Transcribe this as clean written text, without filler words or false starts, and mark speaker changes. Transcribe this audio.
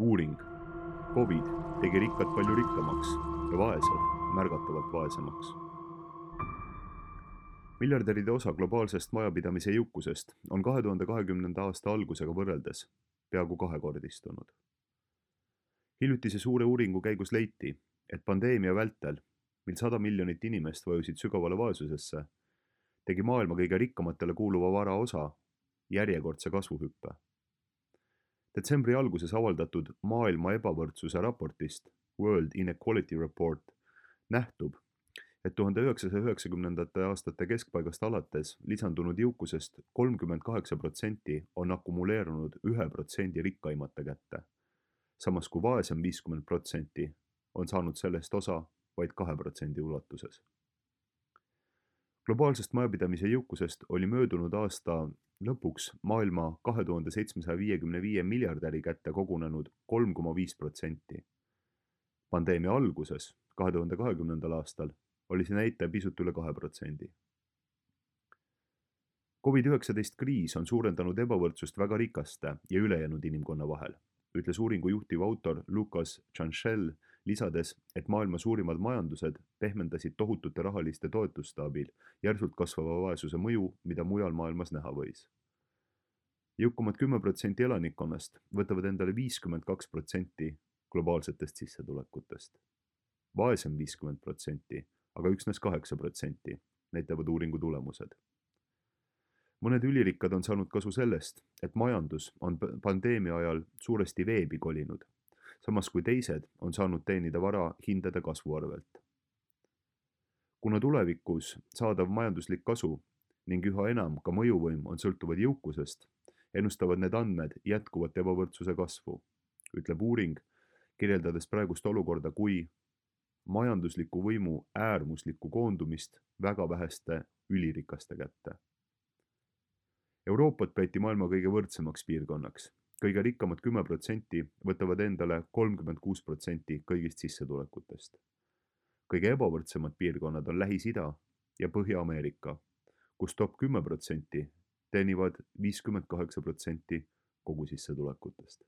Speaker 1: Uuring: Covid tegi rikkad palju rikkamaks ja vaesed märgatavalt vaesemaks. Miljardäride osa globaalsest majapidamise jõukusest on 2020. aasta algusega võrreldes peaaegu kahekordistunud. Hiljutise suure uuringu käigus leiti, et pandeemia vältel, mil 100 miljonit inimest vajusid sügavale vaesusesse, tegi maailma kõige rikkamatele kuuluva vara osa järjekordse kasvuhüppe. Detsembri alguses avaldatud maailma ebavõrdsuse raportist World Inequality Report nähtub, et 1990. aastate keskpaigast alates lisandunud jõukusest 38% on akumuleerunud 1% rikkaimate kätte, samas kui vaesem 50% on saanud sellest osa vaid 2% ulatuses. Globaalsest majapidamise jõukusest oli möödunud aasta lõpuks maailma 2755 miljardäri kätte kogunenud 3,5%. Pandeemia alguses, 2020. aastal, oli see näitaja pisut üle 2%. COVID-19 kriis on suurendanud ebavõrdsust väga rikaste ja ülejäänud inimkonna vahel, ütles uuringu juhtiv autor Lucas Chanchel, lisades, et maailma suurimad majandused pehmendasid tohutute rahaliste toetuste abil järsult kasvava vaesuse mõju, mida mujal maailmas näha võis. Jõukamad 10% elanikkonnast võtavad endale 52% globaalsetest sissetulekutest. Vaesem 50%, aga üksnes 8%, näitavad uuringu tulemused. Mõned ülirikkad on saanud kasu sellest, et majandus on pandeemia ajal suuresti veebi kolinud, samas kui teised on saanud teenida vara hindade kasvu arvelt. Kuna tulevikus saadav majanduslik kasu ning üha enam ka mõjuvõim on sõltuvad jõukusest, ennustavad need andmed jätkuvat ebavõrdsuse kasvu, ütleb uuring, kirjeldades praegust olukorda kui majandusliku võimu äärmuslikku koondumist väga väheste ülirikaste kätte. Euroopat peeti maailma kõige võrdsemaks piirkonnaks. Kõige rikkamad 10% võtavad endale 36% kõigist sissetulekutest. Kõige ebavõrdsemad piirkonnad on Lähis-Ida ja Põhja-Ameerika, kus top 10% teenivad 58% kogu sissetulekutest.